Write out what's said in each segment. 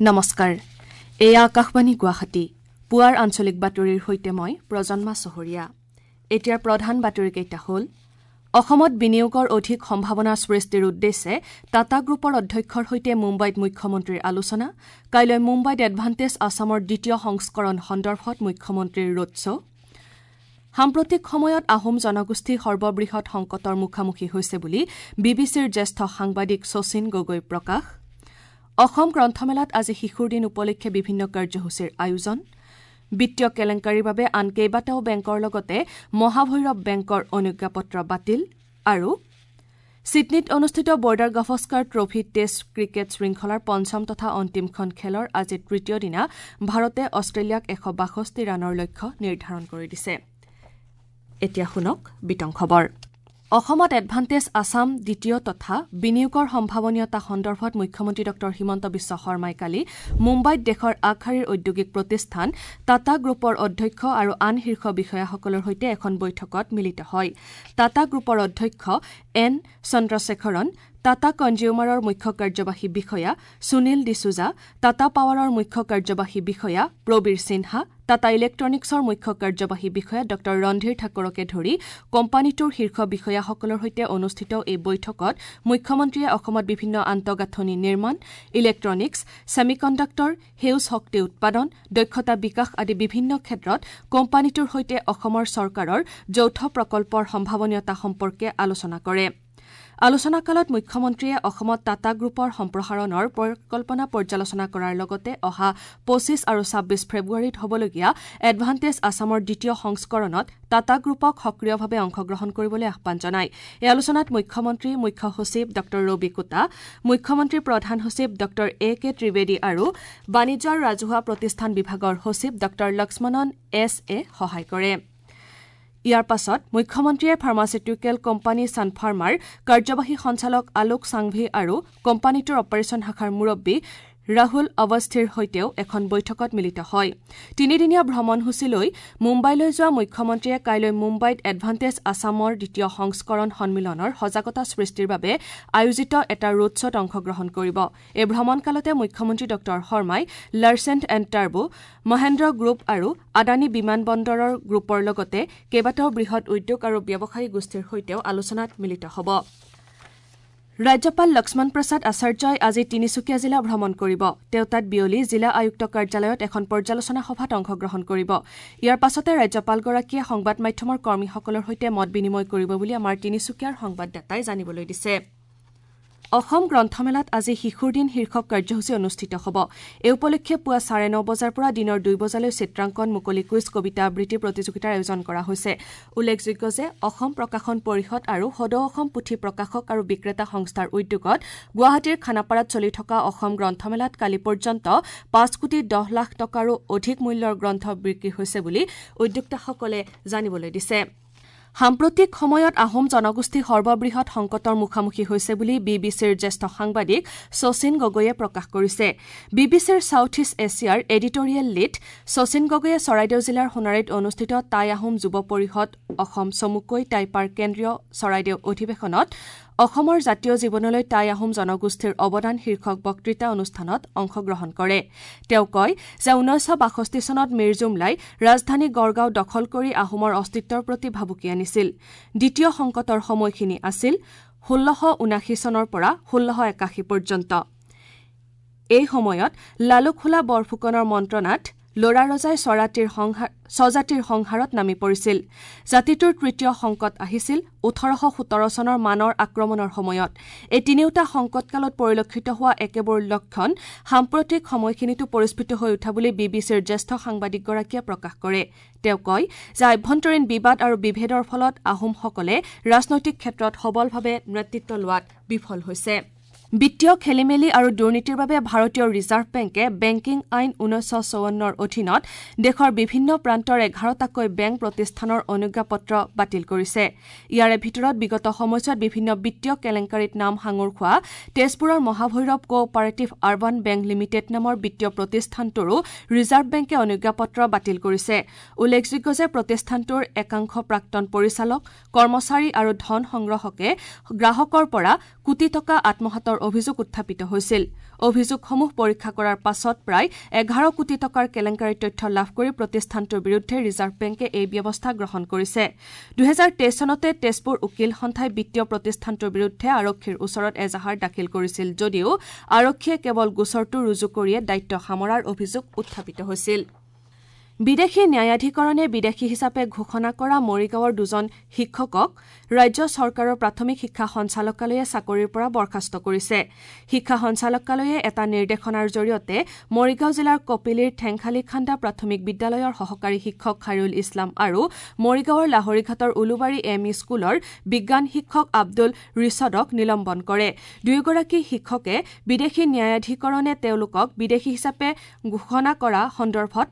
নমস্কাৰ, এয়া আকাশবাণী গুৱাহাটী। পুৱাৰ আঞ্চলিক বাতৰিৰ সৈতে মই প্ৰজন্মা চহৰীয়া। এতিয়াৰ প্ৰধান বাতৰিকেইটা হ'ল: অসমত বিনিয়োগৰ অধিক সম্ভাৱনা সৃষ্টিৰ উদ্দেশ্যে টাটা গ্ৰুপৰ অধ্যক্ষৰ সৈতে মুম্বাইত মুখ্যমন্ত্ৰীৰ আলোচনা। কাইলৈ মুম্বাইত এডভান্টেজ আছামৰ দ্বিতীয় সংস্কৰণ সন্দৰ্ভত মুখ্যমন্ত্ৰীৰ ৰোড শ্ব'। সাম্প্ৰতিক সময়ত আহোম জনগোষ্ঠী সৰ্ববৃহৎ সংকটৰ মুখামুখি হৈছে বুলি বি বি চিৰ জ্যেষ্ঠ সাংবাদিক শচীন গগৈৰ প্ৰকাশ। অসম গ্ৰন্থমেলাত আজি শিশুৰ দিন উপলক্ষে বিভিন্ন কাৰ্যসূচীৰ আয়োজন। বিত্তীয় কেলেংকাৰীৰ বাবে আন কেইবাটাও বেংকৰ লগতে মহাভৈৰৱ বেংকৰ অনুজ্ঞাপত্ৰ বাতিল। আৰু ছিডনীত অনুষ্ঠিত Border Gavaskar trophy test cricket শৃংখলাৰ পঞ্চম তথা অন্তিমখন খেলৰ আজি তৃতীয় দিনা ভাৰতে অষ্ট্ৰেলিয়াক 162 ৰানৰ লক্ষ্য নিৰ্ধাৰণ কৰি দিছে। এতিয়া শুনক বিতং খবৰ। অসমত এডভান্টেজ আছাম দ্বিতীয় তথা বিনিয়োগৰ সম্ভাৱনীয়তা সন্দৰ্ভত মুখ্যমন্ত্ৰী ডঃ হিমন্ত বিশ্ব শৰ্মাই কালি মুম্বাইত দেশৰ আগশাৰীৰ ঔদ্যোগিক প্ৰতিষ্ঠান টাটা গ্ৰুপৰ অধ্যক্ষ আৰু আন শীৰ্ষ বিষয়াসকলৰ সৈতে এখন বৈঠকত মিলিত হয়। টাটা গ্ৰুপৰ অধ্যক্ষ এন চন্দ্ৰশেখৰন, টাটা কনজিউমাৰৰ মুখ্য কাৰ্যবাহী বিষয়া সুনীল ডিছুজা, টাটা পাৱাৰৰ মুখ্য কাৰ্যবাহী বিষয়া প্ৰবীৰ সিনহা, টাটা ইলেক্ট্ৰনিক্সৰ মুখ্য কাৰ্যবাহী বিষয়া ডঃ ৰণধীৰ ঠাকুৰকে ধৰি কোম্পানীটোৰ শীৰ্ষ বিষয়াসকলৰ সৈতে অনুষ্ঠিত এই বৈঠকত মুখ্যমন্ত্ৰীয়ে অসমত বিভিন্ন আন্তঃগাঁথনি নিৰ্মাণ, ইলেক্ট্ৰনিক্স, ছেমিকণ্ডাক্টৰ, সেউজ শক্তি উৎপাদন, দক্ষতা বিকাশ আদি বিভিন্ন ক্ষেত্ৰত কোম্পানীটোৰ সৈতে অসমৰ চৰকাৰৰ যৌথ প্ৰকল্পৰ সম্ভাৱনীয়তা সম্পৰ্কে আলোচনা কৰে। আলোচনাকালত মুখ্যমন্ত্ৰীয়ে অসমত টাটা গ্ৰুপৰ সম্প্ৰসাৰণৰ পৰিকল্পনা পৰ্যালোচনা কৰাৰ লগতে অহা 25 আৰু 26 ফেব্ৰুৱাৰীত হ'বলগীয়া এডভান্টেজ আছামৰ দ্বিতীয় সংস্কৰণত টাটা গ্ৰুপক সক্ৰিয়ভাৱে অংশগ্ৰহণ কৰিবলৈ আহ্বান জনায়। এই আলোচনাত মুখ্যমন্ত্ৰী, মুখ্য সচিব ডঃ ৰবি কোটা, মুখ্যমন্ত্ৰীৰ প্ৰধান সচিব ডঃ এ কে ত্ৰিবেদী আৰু বাণিজ্য আৰু ৰাজহুৱা প্ৰতিষ্ঠান বিভাগৰ সচিব ডঃ লক্ষ্মণন এছ এ সহায় কৰে। ইয়াৰ পাছত মুখ্যমন্ত্ৰীয়ে ফাৰ্মাচিউটিকেল কোম্পানী ছানফাৰ্মাৰ কাৰ্যবাহী সঞ্চালক আলোক সাংভি আৰু কোম্পানীটোৰ অপাৰেচন শাখাৰ মুৰব্বী ৰাহুল অৱস্থিৰ সৈতেও এখন বৈঠকত মিলিত হয়। তিনিদিনীয়া ভ্ৰমণসূচীলৈ মুম্বাইলৈ যোৱা মুখ্যমন্ত্ৰীয়ে কাইলৈ মুম্বাইত এডভান্টেজ আছামৰ দ্বিতীয় সংস্কৰণ সন্মিলনৰ সজাগতা সৃষ্টিৰ বাবে আয়োজিত এটা ৰোড শ্ব'ত অংশগ্ৰহণ কৰিব। এই ভ্ৰমণকালতে মুখ্যমন্ত্ৰী ডঃ শৰ্মাই Larsen and Toubro, Mahindra group আৰু আদানী বিমান বন্দৰৰ গ্ৰুপৰ লগতে কেইবাটাও বৃহৎ উদ্যোগ আৰু ব্যৱসায়ী গোষ্ঠীৰ সৈতেও আলোচনাত মিলিত হ'ব। ৰাজ্যপাল লক্ষ্মণ প্ৰসাদ আচাৰ্যই আজি তিনিচুকীয়া জিলা ভ্ৰমণ কৰিব। তেওঁ তাত বিয়লি জিলা আয়ুক্ত কাৰ্যালয়ত এখন পৰ্যালোচনা সভাত অংশগ্ৰহণ কৰিব। ইয়াৰ পাছতে ৰাজ্যপালগৰাকীয়ে সংবাদ মাধ্যমৰ কৰ্মীসকলৰ সৈতে মত বিনিময় কৰিব বুলি আমাৰ তিনিচুকীয়াৰ সংবাদদাতাই জানিবলৈ দিছে। অসম গ্ৰন্থমেলাত আজি শিশুৰ দিন শীৰ্ষক কাৰ্যসূচী অনুষ্ঠিত হ'ব। এই উপলক্ষে পুৱা 9:30 বজাৰ পৰা দিনৰ 2 বজালৈ চিত্ৰাংকন, মুকলি কুইজ, কবিতা আবৃত্তি প্ৰতিযোগিতাৰ আয়োজন কৰা হৈছে। উল্লেখযোগ্য যে অসম প্ৰকাশন পৰিষদ আৰু সদৌ অসম পুথি প্ৰকাশক আৰু বিক্ৰেতা সংস্থাৰ উদ্যোগত গুৱাহাটীৰ খানাপাৰাত চলি থকা অসম গ্ৰন্থমেলাত কালি পৰ্যন্ত 5 কোটি 10 লাখ টকাৰো অধিক মূল্যৰ গ্ৰন্থ বিক্ৰী হৈছে বুলি উদ্যোক্তাসকলে জানিবলৈ দিছে। সাম্প্ৰতিক সময়ত আহোম জনগোষ্ঠী সৰ্ববৃহৎ সংকটৰ মুখামুখি হৈছে বুলি বি বি চিৰ জ্যেষ্ঠ সাংবাদিক শচীন গগৈয়ে প্ৰকাশ কৰিছে। বি বি চিৰ ছাউথ ইষ্ট এছিয়াৰ এডিটৰিয়েল লিড শচীন গগৈয়ে চৰাইদেউ জিলাৰ সোণাৰীত অনুষ্ঠিত টাই আহোম যুৱ পৰিষদ অসম চমুকৈ টাইপাৰ কেন্দ্ৰীয় চৰাইদেউ অধিৱেশনত অসমৰ জাতীয় জীৱনলৈ টাই আহোম জনগোষ্ঠীৰ অৱদান শীৰ্ষক বক্তৃতা অনুষ্ঠানত অংশগ্ৰহণ কৰে। তেওঁ কয় যে 1962 চনত মিৰজুমলাই ৰাজধানী গড়গাঁও দখল কৰি আহোমৰ অস্তিত্বৰ প্ৰতি ভাবুকি আনিছিল। দ্বিতীয় সংকটৰ সময়খিনি আছিল 1679 চনৰ পৰা 1681 পৰ্যন্ত। এই সময়ত লালুকসোলা বৰফুকনৰ মন্ত্ৰণাত ল'ৰা ৰজাই স্বজাতিৰ সংহাৰত নামি পৰিছিল। জাতিটোৰ তৃতীয় সংকট আহিছিল 1817 চনৰ মানৰ আক্ৰমণৰ সময়ত। এই তিনিওটা সংকটকালত পৰিলক্ষিত হোৱা একেবোৰ লক্ষণ সাম্প্ৰতিক সময়খিনিতো পৰিস্ফুট হৈ উঠা বুলি বি বি চিৰ জ্যেষ্ঠ সাংবাদিকগৰাকীয়ে প্ৰকাশ কৰে। তেওঁ কয় যে আভ্যন্তৰীণ বিবাদ আৰু বিভেদৰ ফলত আহোমসকলে ৰাজনৈতিক ক্ষেত্ৰত সবলভাৱে নেতৃত্ব লোৱাত বিফল হৈছে। বিত্তীয় খেলিমেলি আৰু দুৰ্নীতিৰ বাবে ভাৰতীয় ৰিজাৰ্ভ বেংকে বেংকিং আইন 1954ৰ অধীনত দেশৰ বিভিন্ন প্ৰান্তৰ 11টাকৈ বেংক প্ৰতিষ্ঠানৰ অনুজ্ঞাপত্ৰ বাতিল কৰিছে। ইয়াৰে ভিতৰত বিগত সময়ছোৱাত বিভিন্ন বিত্তীয় কেলেংকাৰীত নাম সাঙুৰ খোৱা তেজপুৰৰ Mahabhairav cooperative urban bank limited নামৰ বিত্তীয় প্ৰতিষ্ঠানটোৰো ৰিজাৰ্ভ বেংকে অনুজ্ঞাপত্ৰ বাতিল কৰিছে। উল্লেখযোগ্য যে প্ৰতিষ্ঠানটোৰ একাংশ প্ৰাক্তন পৰিচালক, কৰ্মচাৰী আৰু ধন সংগ্ৰাহকে গ্ৰাহকৰ পৰা কোটি টকা আত্মসাতৰ অভিযোগ উত্থাপিত হৈছিল। অভিযোগসমূহ পৰীক্ষা কৰাৰ পাছত প্ৰায় 11 কোটি টকাৰ কেলেংকাৰীৰ তথ্য লাভ কৰি প্ৰতিষ্ঠানটোৰ বিৰুদ্ধে ৰিজাৰ্ভ বেংকে এই ব্যৱস্থা গ্ৰহণ কৰিছে। 2023 চনতে তেজপুৰ উকীল সন্থাই বিত্তীয় প্ৰতিষ্ঠানটোৰ বিৰুদ্ধে আৰক্ষীৰ ওচৰত এজাহাৰ দাখিল কৰিছিল যদিও আৰক্ষীয়ে কেৱল গোচৰটো ৰুজু কৰিয়ে দায়িত্ব সামৰাৰ অভিযোগ উত্থাপিত হৈছিল। বিদেশী ন্যায়াধিকৰণে বিদেশী হিচাপে ঘোষণা কৰা মৰিগাঁৱৰ দুজন শিক্ষকক ৰাজ্য চৰকাৰৰ প্ৰাথমিক শিক্ষা সঞ্চালকালয়ে চাকৰিৰ পৰা বৰ্খাস্ত কৰিছে। শিক্ষা সঞ্চালকালয়ে এটা নিৰ্দেশনাৰ জৰিয়তে মৰিগাঁও জিলাৰ কপিলীৰ ঠেংখালী খান্দা প্ৰাথমিক বিদ্যালয়ৰ সহকাৰী শিক্ষক খাইৰুল ইছলাম আৰু মৰিগাঁৱৰ লাহৰীঘাটৰ উলুবাৰী এম ই স্কুলৰ বিজ্ঞান শিক্ষক আব্দুল ৰিছদক নিলম্বন কৰে। দুয়োগৰাকী শিক্ষকে বিদেশী ন্যায়াধিকৰণে তেওঁলোকক বিদেশী হিচাপে ঘোষণা কৰা সন্দৰ্ভত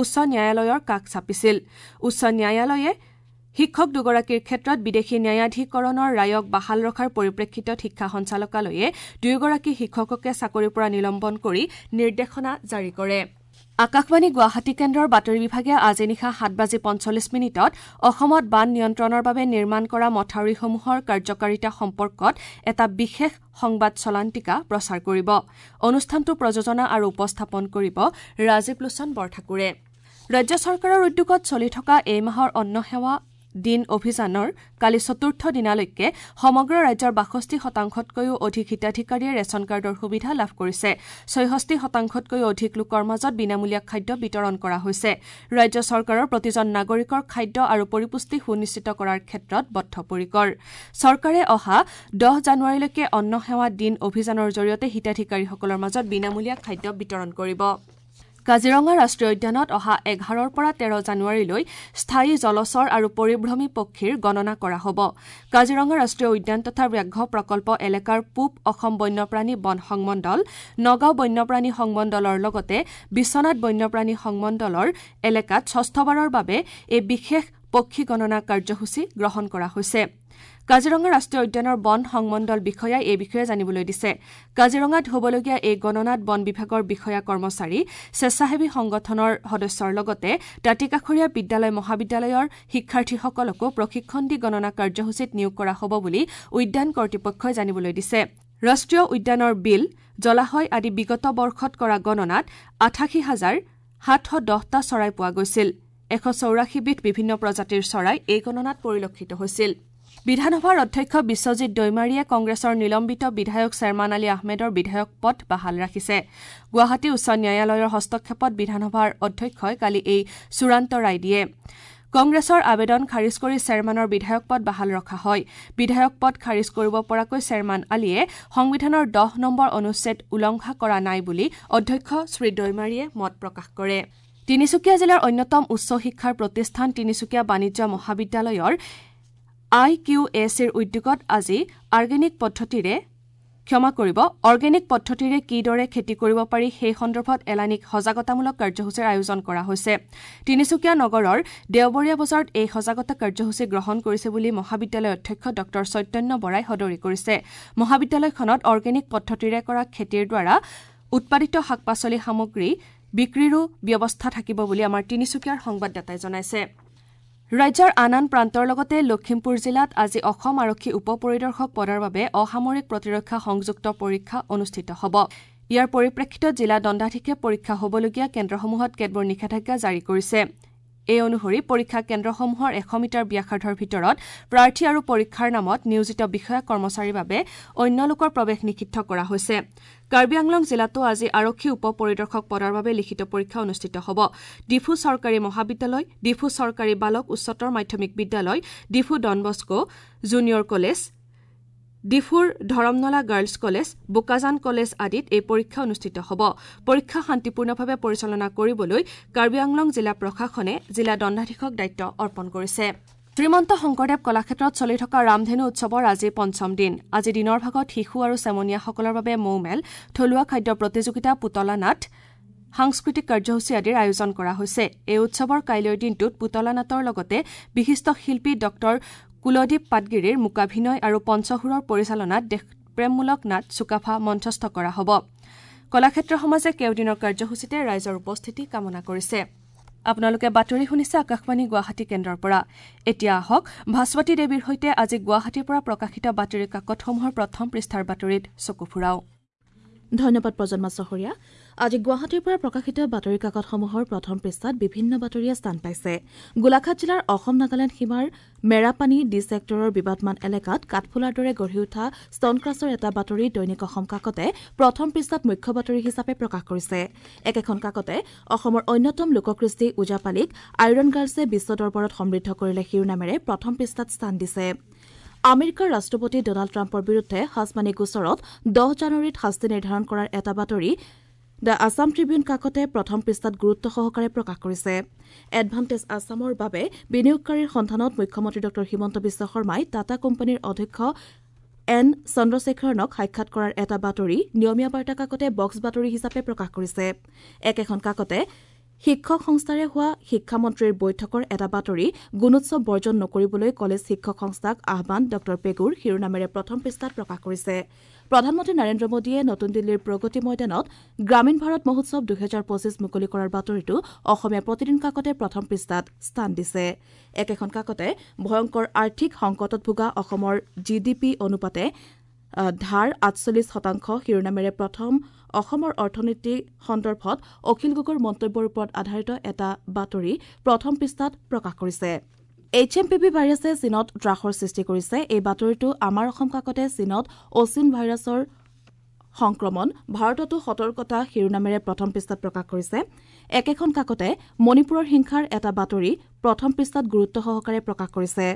উচ্চ ন্যায়ালয়ৰ কাষ চাপিছিল। উচ্চ ন্যায়ালয়ে শিক্ষক দুগৰাকীৰ ক্ষেত্ৰত বিদেশী ন্যায়াধিকৰণৰ ৰায়ক বাহাল ৰখাৰ পৰিপ্ৰেক্ষিতত শিক্ষা সঞ্চালকালয়ে দুয়োগৰাকী শিক্ষককে চাকৰিৰ পৰা নিলম্বন কৰি নিৰ্দেশনা জাৰি কৰে। আকাশবাণী গুৱাহাটী কেন্দ্ৰৰ বাতৰি বিভাগে আজি নিশা 7:45 অসমত বান নিয়ন্ত্ৰণৰ বাবে নিৰ্মাণ কৰা মথাউৰিসমূহৰ কাৰ্যকাৰিতা সম্পৰ্কত এটা বিশেষ সংবাদ চলান্তিকা প্ৰচাৰ কৰিব। অনুষ্ঠানটো প্ৰযোজনা আৰু উপস্থাপন কৰিব ৰাজীৱ লোচন বৰঠাকুৰে। ৰাজ্য চৰকাৰৰ উদ্যোগত চলি থকা এই মাহৰ অন্ন সেৱা দিন অভিযানৰ কালি চতুৰ্থ দিনালৈকে সমগ্ৰ ৰাজ্যৰ 62%তকৈও অধিক হিতাধিকাৰীয়ে ৰেচন কাৰ্ডৰ সুবিধা লাভ কৰিছে। 66%তকৈও অধিক লোকৰ মাজত বিনামূলীয়া খাদ্য বিতৰণ কৰা হৈছে। ৰাজ্য চৰকাৰৰ প্ৰতিজন নাগৰিকৰ খাদ্য আৰু পৰিপুষ্টি সুনিশ্চিত কৰাৰ ক্ষেত্ৰত বদ্ধপৰিকৰ। চৰকাৰে অহা 10 জানুৱাৰীলৈকে অন্ন সেৱা দিন অভিযানৰ জৰিয়তে হিতাধিকাৰীসকলৰ মাজত বিনামূলীয়া খাদ্য বিতৰণ কৰিব। কাজিৰঙা ৰাষ্ট্ৰীয় উদ্যানত অহা 11ৰ পৰা 13 জানুৱাৰীলৈ স্থায়ী জলচৰ আৰু পৰিভ্ৰমী পক্ষীৰ গণনা কৰা হ'ব। কাজিৰঙা ৰাষ্ট্ৰীয় উদ্যান তথা ব্যাঘ্ৰ প্ৰকল্প এলেকাৰ পূব অসম বন্যপ্ৰাণী বন সংমণ্ডল, নগাঁও বন্যপ্ৰাণী সংমণ্ডলৰ লগতে বিশ্বনাথ বন্যপ্ৰাণী সংমণ্ডলৰ এলেকাত ষষ্ঠবাৰৰ বাবে এই বিশেষ পক্ষী গণনা কাৰ্যসূচী গ্ৰহণ কৰা হৈছে। কাজিৰঙা ৰাষ্ট্ৰীয় উদ্যানৰ বন সংমণ্ডল বিষয়াই এই বিষয়ে জানিবলৈ দিছে। কাজিৰঙাত হ'বলগীয়া এই গণনাত বন বিভাগৰ বিষয়া কৰ্মচাৰী, স্বেচ্ছাসেৱী সংগঠনৰ সদস্যৰ লগতে দাঁতিকাষৰীয়া বিদ্যালয় মহাবিদ্যালয়ৰ শিক্ষাৰ্থীসকলকো প্ৰশিক্ষণ দি গণনা কাৰ্যসূচীত নিয়োগ কৰা হ'ব বুলি উদ্যান কৰ্তৃপক্ষই জানিবলৈ দিছে। ৰাষ্ট্ৰীয় উদ্যানৰ বিল, জলাশয় আদি বিগত বৰ্ষত কৰা গণনাত 88,710টা চৰাই পোৱা গৈছিল। 184বিধ বিভিন্ন প্ৰজাতিৰ চৰাই এই গণনাত পৰিলক্ষিত হৈছিল। বিধানসভাৰ অধ্যক্ষ বিশ্বজিৎ দৈমাৰীয়ে কংগ্ৰেছৰ নিলম্বিত বিধায়ক শ্বেৰমান আলী আহমেদৰ বিধায়ক পদ বাহাল ৰাখিছে। গুৱাহাটী উচ্চ ন্যায়ালয়ৰ হস্তক্ষেপত বিধানসভাৰ অধ্যক্ষই কালি এই চূড়ান্ত ৰায় দিয়ে। কংগ্ৰেছৰ আবেদন খাৰিজ কৰি শ্বেৰমানৰ বিধায়ক পদ বাহাল ৰখা হয়। বিধায়ক পদ খাৰিজ কৰিব পৰাকৈ শ্বেৰমান আলীয়ে সংবিধানৰ 10 নম্বৰ অনুচ্ছেদ উলংঘা কৰা নাই বুলি অধ্যক্ষ শ্ৰী দৈমাৰীয়ে মত প্ৰকাশ কৰে। তিনিচুকীয়া জিলাৰ অন্যতম উচ্চ শিক্ষাৰ প্ৰতিষ্ঠান তিনিচুকীয়া বাণিজ্য মহাবিদ্যালয়ৰ আই কিউ এ চিৰ উদ্যোগত আজি অৰ্গেনিক পদ্ধতিৰে কিদৰে খেতি কৰিব পাৰি সেই সন্দৰ্ভত এলানিক সজাগতামূলক কাৰ্যসূচীৰ আয়োজন কৰা হৈছে। তিনিচুকীয়া নগৰৰ দেওবৰীয়া বজাৰত এই সজাগতা কাৰ্যসূচী গ্ৰহণ কৰিছে বুলি মহাবিদ্যালয়ৰ অধ্যক্ষ ডঃ চৈতন্য বৰাই সদৰি কৰিছে। মহাবিদ্যালয়খনত অৰ্গেনিক পদ্ধতিৰে কৰা খেতিৰ দ্বাৰা উৎপাদিত শাক পাচলি সামগ্ৰী বিক্ৰীৰো ব্যৱস্থা থাকিব বুলি আমাৰ তিনিচুকীয়াৰ সংবাদদাতাই জনাইছে। ৰাজ্যৰ আন আন প্ৰান্তৰ লগতে লখিমপুৰ জিলাত আজি অসম আৰক্ষী উপ পৰিদৰ্শক পদৰ বাবে অসামৰিক প্ৰতিৰক্ষা সংযুক্ত পৰীক্ষা অনুষ্ঠিত হ'ব। ইয়াৰ পৰিপ্ৰেক্ষিতত জিলা দণ্ডাধীশে পৰীক্ষা হ'বলগীয়া কেন্দ্ৰসমূহত কেতবোৰ নিষেধাজ্ঞা জাৰি কৰিছে। এই অনুসৰি পৰীক্ষা কেন্দ্ৰসমূহৰ 100 মিটাৰ ব্যাসাৰ্ধৰ ভিতৰত প্ৰাৰ্থী আৰু পৰীক্ষাৰ নামত নিয়োজিত বিষয়া কৰ্মচাৰীৰ বাবে অন্য লোকৰ প্ৰৱেশ নিষিদ্ধ কৰা হৈছে। কাৰ্বি আংলং জিলাতো আজি আৰক্ষী উপ পৰিদৰ্শক পদৰ বাবে লিখিত পৰীক্ষা অনুষ্ঠিত হ'ব। ডিফু চৰকাৰী মহাবিদ্যালয়, ডিফু চৰকাৰী বালক উচ্চতৰ মাধ্যমিক বিদ্যালয়, ডিফু ডনবস্কো জুনিয়ৰ কলেজ, ডিফুৰ Dharamnala girls college, Bokajan college আদিত এই পৰীক্ষা অনুষ্ঠিত হ'ব। পৰীক্ষা শান্তিপূৰ্ণভাৱে পৰিচালনা কৰিবলৈ কাৰ্বি আংলং জিলা প্ৰশাসনে জিলা দণ্ডাধীশক দায়িত্ব অৰ্পণ কৰিছে। শ্ৰীমন্ত শংকৰদেৱ কলাক্ষেত্ৰত চলি থকা ৰামধেনু উৎসৱৰ আজি পঞ্চম দিন। আজি দিনৰ ভাগত শিশু আৰু চেমনীয়াসকলৰ বাবে মৌমেল, থলুৱা খাদ্য প্ৰতিযোগিতা, পুতলা নাট, সাংস্কৃতিক কাৰ্যসূচী আদিৰ আয়োজন কৰা হৈছে। এই উৎসৱৰ কাইলৈৰ দিনটোত পুতলা নাটৰ লগতে বিশিষ্ট শিল্পী ডঃ কুলদীপ পাটগিৰিৰ মূকাভিনয় আৰু পঞ্চসুৰৰ পৰিচালনাত দেশপ্ৰেমমূলক নাট চুকাফা মঞ্চস্থ কৰা হ'ব। কলাক্ষেত্ৰ সমাজে কেওদিনৰ কাৰ্যসূচীতে ৰাইজৰ উপস্থিতি কামনা কৰিছে। আপোনালোকে বাতৰি শুনিছে আকাশবাণী গুৱাহাটী কেন্দ্ৰৰ পৰা। এতিয়া আহক ভাস্বতী দেৱীৰ সৈতে আজি গুৱাহাটীৰ পৰা প্ৰকাশিত বাতৰি কাকতসমূহৰ প্ৰথম পৃষ্ঠাৰ বাতৰিত চকু ফুৰাওঁ। ধন্যবাদ প্ৰজন্মা চহৰীয়া। আজি গুৱাহাটীৰ পৰা প্ৰকাশিত বাতৰি কাকতসমূহৰ প্ৰথম পৃষ্ঠাত বিভিন্ন বাতৰিয়ে স্থান পাইছে। গোলাঘাট জিলাৰ অসম নাগালেণ্ড সীমাৰ মেৰাপানী ডি ছেক্টৰৰ বিবাদমান এলেকাত কাঠফুলাৰ দৰে গঢ়ি উঠা ষ্টনক্ৰাছৰ এটা বাতৰি দৈনিক অসম কাকতে প্ৰথম পৃষ্ঠাত মুখ্য বাতৰি হিচাপে প্ৰকাশ কৰিছে। একেখন কাকতে অসমৰ অন্যতম লোককৃষ্টি ওজাপালিক আইৰণ গাৰ্লছে বিশ্ব দৰবাৰত সমৃদ্ধ কৰিলে শিৰোনামেৰে প্ৰথম পৃষ্ঠাত স্থান দিছে। আমেৰিকাৰ ৰাষ্ট্ৰপতি ডনাল্ড ট্ৰাম্পৰ বিৰুদ্ধে হাছমানী গোচৰত 10 জানুৱাৰীত শাস্তি নিৰ্ধাৰণ কৰাৰ এটা বাতৰি the Assam Tribune কাকতে প্ৰথম পৃষ্ঠাত গুৰুত্ব সহকাৰে প্ৰকাশ কৰিছে। এডভান্টেজ আছামৰ বাবে বিনিয়োগকাৰীৰ সন্ধানত মুখ্যমন্ত্ৰী ডঃ হিমন্ত বিশ্ব শৰ্মাই টাটা কোম্পানীৰ অধ্যক্ষ এন চন্দ্ৰশেখৰণক সাক্ষাৎ কৰাৰ এটা বাতৰি নিয়মীয়া বাৰ্তা কাকতে বক্স বাতৰি হিচাপে প্ৰকাশ কৰিছে। একেখন কাকতে শিক্ষক সংস্থাৰে হোৱা শিক্ষামন্ত্ৰীৰ বৈঠকৰ এটা বাতৰি গুণোৎসৱ বৰ্জন নকৰিবলৈ কলেজ শিক্ষক সংস্থাক আহ্বান ডঃ পেগুৰ শিৰোনামেৰে প্ৰথম পৃষ্ঠাত প্ৰকাশ কৰিছে। প্ৰধানমন্ত্ৰী নৰেন্দ্ৰ মোদীয়ে নতুন দিল্লীৰ প্ৰগতি ময়দানত গ্ৰামীণ ভাৰত মহোৎসৱ 2025 মুকলি কৰাৰ বাতৰিটো অসমীয়া প্ৰতিদিন কাকতে প্ৰথম পৃষ্ঠাত স্থান দিছে। একেখন কাকতে ভয়ংকৰ আৰ্থিক সংকটত ভোগা অসমৰ জি ডি পি অনুপাতে ধাৰ 48% শিৰোনামেৰে প্ৰথম অসমৰ অৰ্থনীতি সন্দৰ্ভত অখিল গগৈৰ মন্তব্যৰ ওপৰত আধাৰিত এটা বাতৰি প্ৰথম পৃষ্ঠাত প্ৰকাশ কৰিছে। এইচ এম পি ভি ভাইৰাছে চীনত ত্ৰাসৰ সৃষ্টি কৰিছে। এই বাতৰিটো আমাৰ অসম কাকতে চীনত অচিন ভাইৰাছৰ সংক্ৰমণ, ভাৰততো সতৰ্কতা শিৰোনামেৰে প্ৰথম পৃষ্ঠাত প্ৰকাশ কৰিছে। একেখন কাকতে মণিপুৰৰ হিংসাৰ এটা বাতৰি প্ৰথম পৃষ্ঠাত গুৰুত্ব সহকাৰে প্ৰকাশ কৰিছে।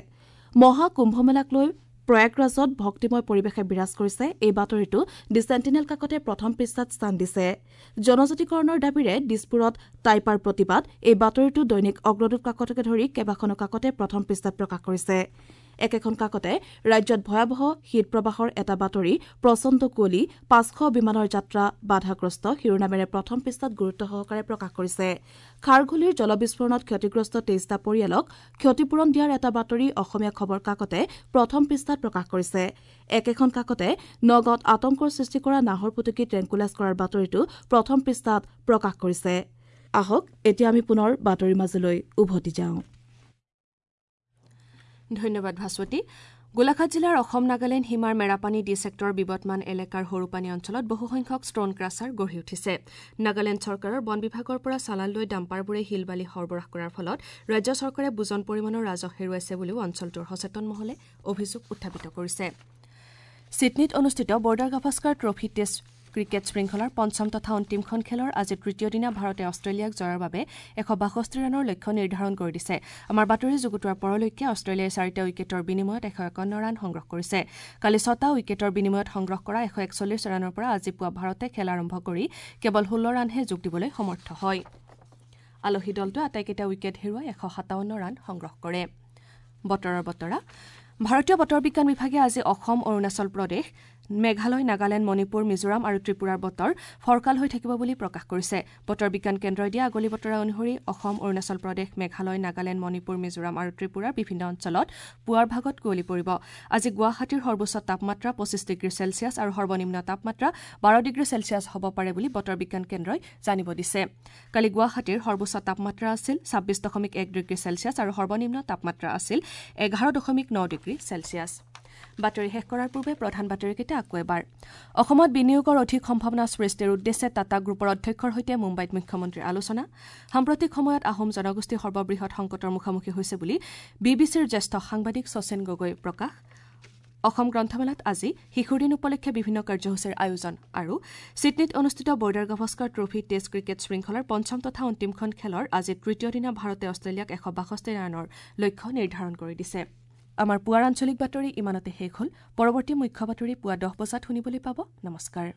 মহা কুম্ভমেলাক লৈ প্ৰয়াগৰাজত ভক্তিময় পৰিৱেশে বিৰাজ কৰিছে। এই বাতৰিটো দি চেণ্টিনেল কাকতে প্ৰথম পৃষ্ঠাত স্থান দিছে। জনজাতিকৰণৰ দাবীৰে দিছপুৰত টাইপাৰ প্ৰতিবাদ, এই বাতৰিটো দৈনিক অগ্ৰদূত কাকতকে ধৰি কেইবাখনো কাকতে প্ৰথম পৃষ্ঠাত প্ৰকাশ কৰিছে। একেখন কাকতে ৰাজ্যত ভয়াৱহ শীত প্ৰবাহৰ এটা বাতৰি প্ৰচণ্ড কুঁৱলী, 500 বিমানৰ যাত্ৰা বাধাগ্ৰস্ত শিৰোনামেৰে প্ৰথম পৃষ্ঠাত গুৰুত্ব সহকাৰে প্ৰকাশ কৰিছে। খাৰঘুলিৰ জলবিস্ফোৰণত ক্ষতিগ্ৰস্ত 23টা পৰিয়ালক ক্ষতিপূৰণ দিয়াৰ এটা বাতৰি অসমীয়া খবৰ কাকতে প্ৰথম পৃষ্ঠাত প্ৰকাশ কৰিছে। একেখন কাকতে নগাঁৱত আতংকৰ সৃষ্টি কৰা নাহৰফুটুকী ট্ৰেংকুলাইজ কৰাৰ বাতৰিটো প্ৰথম পৃষ্ঠাত প্ৰকাশ কৰিছে। আহক এতিয়া আমি পুনৰ বাতৰিৰ মাজলৈ উভতি যাওঁ। ধন্যবাদ ভাস্বতী। গোলাঘাট জিলাৰ অসম নাগালেণ্ড সীমাৰ মেৰাপানী ডি ছেক্টৰৰ বিবদমান এলেকাৰ সৰুপানী অঞ্চলত বহুসংখ্যক ষ্টন ক্ৰাছাৰ গঢ়ি উঠিছে। নাগালেণ্ড চৰকাৰৰ বন বিভাগৰ পৰা চালান লৈ ডাম্পাৰবোৰে শিল বালি সৰবৰাহ কৰাৰ ফলত ৰাজ্য চৰকাৰে বুজন পৰিমাণৰ ৰাজহ হেৰুৱাইছে বুলিও অঞ্চলটোৰ সচেতন মহলে অভিযোগ উত্থাপিত কৰিছে। ছিডনীত অনুষ্ঠিত Border Gavaskar trophy test cricket শৃংখলাৰ পঞ্চম তথা অন্তিমখন খেলৰ আজি তৃতীয় দিনা ভাৰতে অষ্ট্ৰেলিয়াক জয়ৰ বাবে 162 ৰানৰ লক্ষ্য নিৰ্ধাৰণ কৰি দিছে। আমাৰ বাতৰি যুগুতোৱাৰ পৰলৈকে অষ্ট্ৰেলিয়াই 4টা উইকেটৰ বিনিময়ত 151 ৰান সংগ্ৰহ কৰিছে। কালি 6টা উইকেটৰ বিনিময়ত সংগ্ৰহ কৰা 141 ৰানৰ পৰা আজি পুৱা ভাৰতে খেল আৰম্ভ কৰি কেৱল 16 ৰানহে যোগ দিবলৈ সমৰ্থ হয়। আলহী দলটোৱে আটাইকেইটা উইকেট হেৰুৱাই 157 ৰান সংগ্ৰহ কৰে। বতৰৰ বতৰা। ভাৰতীয় বতৰ বিজ্ঞান বিভাগে আজি অসম, অৰুণাচল প্ৰদেশ, মেঘালয়, নাগালেণ্ড, মণিপুৰ, মিজোৰাম আৰু ত্ৰিপুৰাৰ বতৰ ফৰকাল হৈ থাকিব বুলি প্ৰকাশ কৰিছে। বতৰ বিজ্ঞান কেন্দ্ৰই দিয়া আগলি বতৰা অনুসৰি অসম, অৰুণাচল প্ৰদেশ, মেঘালয়, নাগালেণ্ড, মণিপুৰ, মিজোৰাম আৰু ত্ৰিপুৰাৰ বিভিন্ন অঞ্চলত পুৱাৰ ভাগত কুঁৱলী পৰিব। আজি গুৱাহাটীৰ সৰ্বোচ্চ তাপমাত্ৰা 25 ডিগ্ৰী চেলছিয়াছ আৰু সৰ্বনিম্ন তাপমাত্ৰা 12 ডিগ্ৰী চেলছিয়াছ হ'ব পাৰে বুলি বতৰ বিজ্ঞান কেন্দ্ৰই জানিব দিছে। কালি গুৱাহাটীৰ সৰ্বোচ্চ তাপমাত্ৰা আছিল 26.1 ডিগ্ৰী চেলছিয়াছ আৰু সৰ্বনিম্ন তাপমাত্ৰা আছিল 11.9 ডিগ্ৰী চেলছিয়াছ। বাতৰি শেষ কৰাৰ পূৰ্বে প্ৰধান বাতৰিকেইটা আকৌ এবাৰ। অসমত বিনিয়োগৰ অধিক সম্ভাৱনা সৃষ্টিৰ উদ্দেশ্যে টাটা গ্ৰুপৰ অধ্যক্ষৰ সৈতে মুম্বাইত মুখ্যমন্ত্ৰীৰ আলোচনা। সাম্প্ৰতিক সময়ত আহোম জনগোষ্ঠী সৰ্ববৃহৎ সংকটৰ মুখামুখি হৈছে বুলি বি বি চিৰ জ্যেষ্ঠ সাংবাদিক শচীন গগৈ প্ৰকাশ। অসম গ্ৰন্থমেলাত আজি শিশুৰ দিন উপলক্ষে বিভিন্ন কাৰ্যসূচীৰ আয়োজন আৰু ছিডনীত অনুষ্ঠিত Border Gavaskar trophy test cricket শৃংখলাৰ পঞ্চম তথা অন্তিমখন খেলৰ আজি তৃতীয় দিনা ভাৰতে অষ্ট্ৰেলিয়াক 162 ৰানৰ লক্ষ্য নিৰ্ধাৰণ কৰি দিছে। আমাৰ পুৱাৰ আঞ্চলিক বাতৰি ইমানতে শেষ হ'ল। পৰৱৰ্তী মুখ্য বাতৰি পুৱা 10 বজাত শুনিবলৈ পাব। নমস্কাৰ।